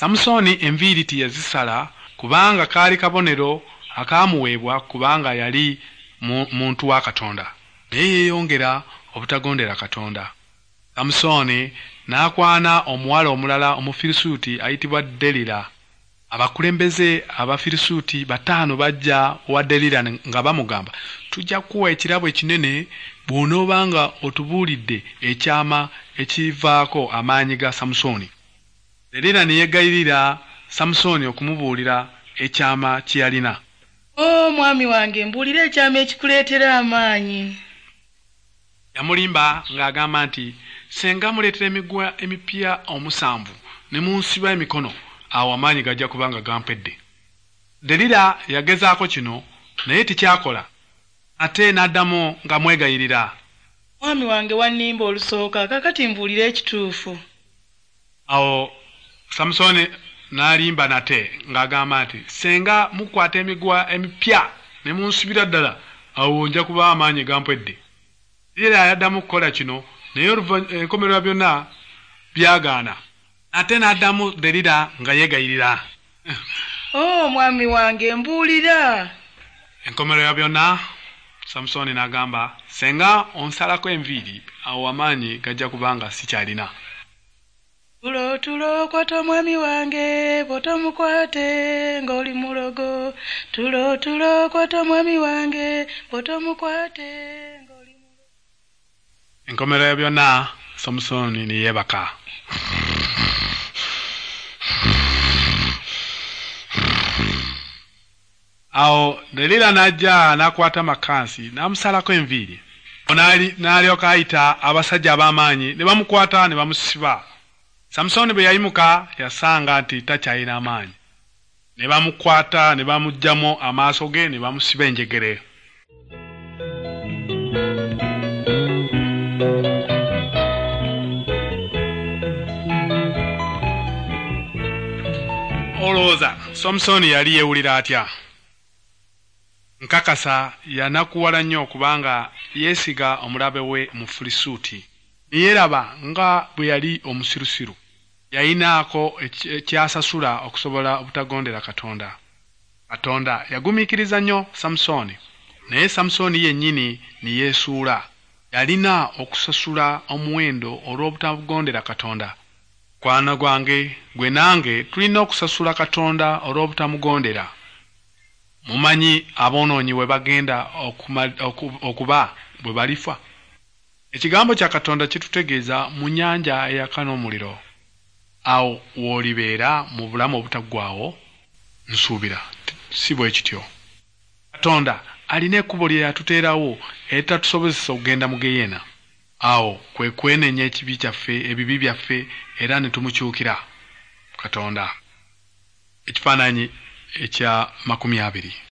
Samusooni enviiri teyazisala kubanga kaali kabonero akaamuweebwa kubanga yali muntu wa Katonda. Naye yeeyongera obutagondera Katonda. Samusooni n'akwana omuwala omulala Omufirisuuti ayitibwa Derira. Abakulembeze Abafirisuuti 5 bajja wa Derira nga bamugamba, tujja kukuwa ekirabo ekinene bw'onoobanga otubuulidde ekyama ekivaako amaanyi ga Samusooni. Derira ne yeegayirira Samusooni okumubuulira ekyama kye yalina. O mwami wange, mbuulira ekyama ekikuleetera amaanyi. Yamulimba ng'agamba nti senga muleetera emiguwa emipya 7 ne munsiba emikono, awo amaanyi gajja kubanga gampedde. Derira yagezaako kino naye tekyakola, ate n'addamu nga mwegayirira. Mwami wange wannimba olusooka, kaakati mbuulira ekituufu. Awo Samusooni n'alimba nate ng'agamba nti senga mukwata emiguwa emipya ne munsibira ddala, awo nja kuba amaanyi gampedde. Derira yaddamu okukola kino naye enkomerero byonna byagaana. Ate n'addamu Derira nga yeegayirira. O mwami wange, mbuulira. Enkomerero byonna Samusooni n'agamba, senga onsalako enviiri, awo amaanyi gajja kubanga sikyalina. Tulo tulo kwata omwami wange, bw'otomukwate ng'oli mulogo. Tulo tulo kwata omwami wange, bw'otomukwate ng'oli mulogo. Enkomerero byonna Samusooni ne yeebaka. Awo Derira n'ajja n'akwata makansi n'amusalako enviiri. N'alyoka ayita abasajja ab'amaanyi ne bamukwata ne bamusiba. Samusooni bwe yayimuka yasanga nti takyalina amaanyi. Ne bamukwata ne bamuggyamu amaaso ge ne bamusiba enjegere. Olowooza Samusooni yali yeewulira atya? Nkakasa yanakuwala nnyo kubanga yeesiga omulabe we Mufirisuuti. Ne yeeraba nga bwe yali omusirusiru. Yayinaako ekyasasula okusobola obutagondera Katonda. Katonda yagumiikiriza nnyo Samusooni, naye Samusooni yennyini ne yeesuula. Yalina okusasula omuwendo olw'obutagondera Katonda. Mukwano gwange gwe nange tulina okusasula Katonda olw'obutamugondera. Mumanyi aboonoonyi we bagenda okuba bwe balifa. Ekigambo kya Katonda kitutegeeza mu nnyanja eyaka n'omuliro. Awo w'olibeera mu bulamu obutaggwaawo, nsuubira si bwe kityo. Katonda alina ekkubo lye yatuteerawo eritatusobozesa okugenda mu Geyeena. Awo kwe kwenenya ekibi kyaffe, ebibi byaffe, era ne tumukyukira Katonda. Ekifaananyi ekya 20.